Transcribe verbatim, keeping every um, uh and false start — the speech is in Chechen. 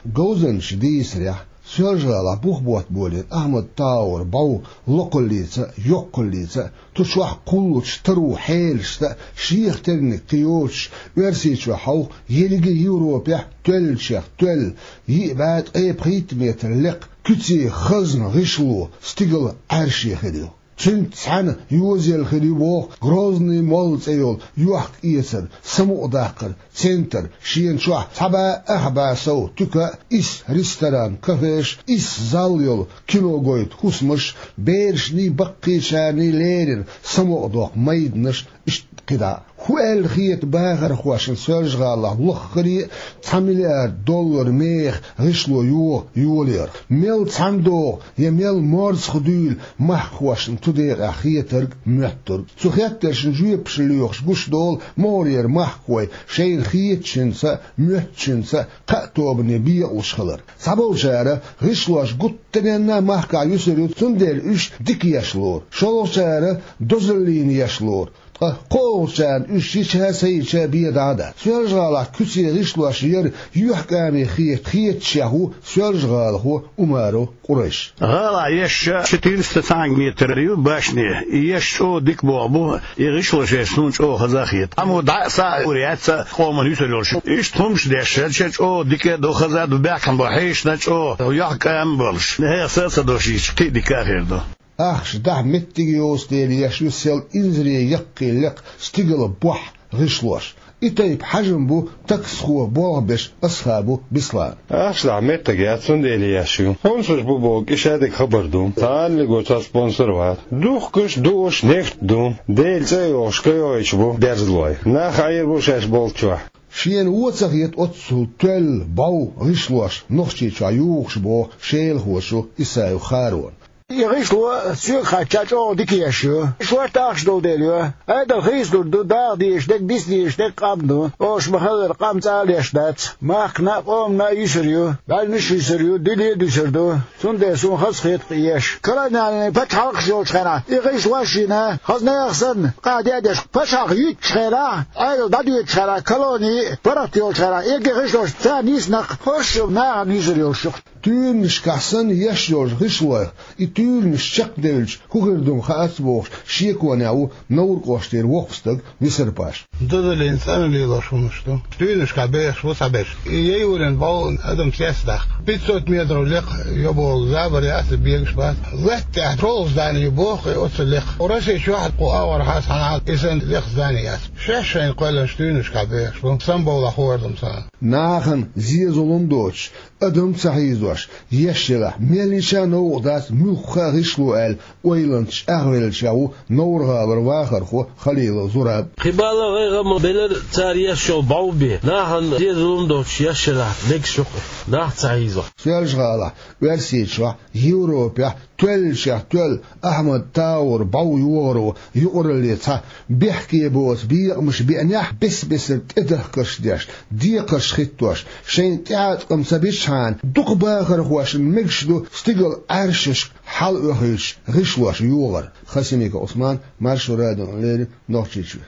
Говзанчаша дийцарехь, Соьлжа-ГӀалахь бух ботта болийна Ахьмад Таура бӀов локхаллица а, йоккхаллица а, цу чохь кхуллучу таро хьелашца а шех терниг кхин йоцуш, Оьрсийчохь хьовха, ерриге Европехь тоьллачех тоьлла, йиъ бӀе ткъе пхийтта метр лекха, куьце хазна гӀишло, стигала Ӏаьрше хир ю. Цуьнца цхьаьна йозаелла хир ю боху Грозный молла цӀе йолу йохк-эцар, самукъадаккхар, центр, шена чохь цхьа бӀе ах бӀе сов туька а, исс ресторан, кафеш а, исс зал йолу кино гойту хӀусамаш а, берашний, баккхийчарний леррина самукъадоккху майданаш а, иштта кхидӀа а. ХӀун аьлла хета бахархошна Соьлжа-ГӀалахь лаххара а цхьа миллиард доллар меха гӀишло йогӀу йолаярх? Мел цхьаьна догӀу я мел морзах дуьйла махкахошна цу декъехь хетарг, моьттург? Цу хеттаршна жоьпаш лоьхуш гуш долу могӀарера махкахой шайна хетачуьнца а, моьттучуьнца а кхаа тобане бекъалуш хилар. Цхьаболчара гӀишлош гуттаренна а махкахь юьсур ю, цундела уьш дика еш лору, шолгӀачара дозаллина еш лору. Ткъа кхоалгӀачарна уьш йича а, ца йича а бен дӀа а дац. Соьлжа-ГӀалахь куьце гӀишлош яр юьхькӀаме хета хетачех ву соьлжагӀалахо Умаров Къурайш. ГӀалахь еш четыреста цхьаьнга метр ю башне. И еш чӀогӀа дика болх бу, и гӀишло шайна суна чӀогӀа хаза а хета. Амма дӀа а, схьа а ур яц цхьана къоман юьсур йолуш. Иштта хӀумаш деш, шен чӀогӀа дика а ду, хаза а ду, баьхкина бу хьешна чӀогӀа, юьхькӀаме а болуш. ХӀеха са а ца дошийча, кхин а дика а хир ду. Ахча дахьа меттиг йоцу дела еш ю сел инзаре яккхий лекха стигала бохь гӀишлош. И тайпа хьажам бу таксхо болх беш Асхабов Беслана. Ахча дахьа меттиг яц, цундела еш ю. Спонсорш бу бохург и шадерг хабар ду. Цхьа аллиго цхьа спонсор вац. Духкуш, дууш нефть ду. Делан цӀе а йохуш, кхайойтуш бу берзалой. Нах Ӏийр бу шаьш болччохь. Шена вон ца хета оццул тоьлла, бӀов гӀишлош Нохчийчохь юхуш боху шелахочо Исаев Харона. И гӀишло соьга хетча чӀогӀа дика еш ю. Шорта ахча долу дела ю. Ӏедал хийцалур ду, даха дезаш дерг, диса дезаш дерг къам ду. Оха ма-хиллара, къам цкъа а леш дац. Махкана а, къомана а юьсур ю. БӀаьргаш юьсур ю, дуьне а дуьсур ду. Цундела суна хазахета кхин еш. Колониальный пачхьалкхаш йолчу хенахь и гӀишлош йина, хаза нехан санна, къа а деш, пачхьалкх юьтучу хенахь, Ӏедал дӀадоьдучу хенахь, колони паргӀат йолчу хенахь, и гӀишлош царна йисинарг хӀорш а нахана юьсур йолуш ю. Туьйранашкахь санна еш йолчу гӀишлойх и туьйранаш чекхдевлча хӀун хир ду-м хаац бохуш, шеконехь ву Невран кӀоштара воккха стаг Висар-Паша. Дозаллина цӀена лелош хӀуманаш ду. Туьйранашкахь бехаш бу цхьаберш. И яйволийна бӀов адам цецдаккха. Пятьсот метров лекха йо боху забар яц, бегаш бац. Латта тӀехь шолгӀа здани ю боху и оццул лекха. Россия чохь кху агӀор хьан санна и санна лекха здани яц. Шаьш шайна кхоьллинчу туьйранашкахь бехаш бу. Самбовлахь хӀора ду-м царна. Нахана зе-зулам доцуш, адам ца хьийзош, еш елахь, мел йича а новкъа дац муьлхха а гӀишло аьлла, ойланца чӀагӀвеллачех ву Невран гӀалара вахархо Халилов Зураб. Кхин бала гӀайгӀа ма белира цара еш йолу бӀов бен. Нахана зе-зулам доцуш еш елахь, мегаш ю-кх, нах ца хьийзош. Соьлжа-ГӀалахь, Оьрсийчохь, Европехь тоьллачех тоьлла Ахьмад Таура бӀов йогӀаро юкъаралле цхьа бехке боцу бекъамаш беанехь, бес-бесара тӀедахкарш деш, декхарш хӀиттош, шайна тӀеӀаткъам ца бичхьана, дукха бахархошна мегаш ду стигала Ӏаьршашка хьалаоьхуьйтуш гӀишлош йогӀар. Хасимиков Ӏусман, Маршо радиона леррина, Нохчийчуьра.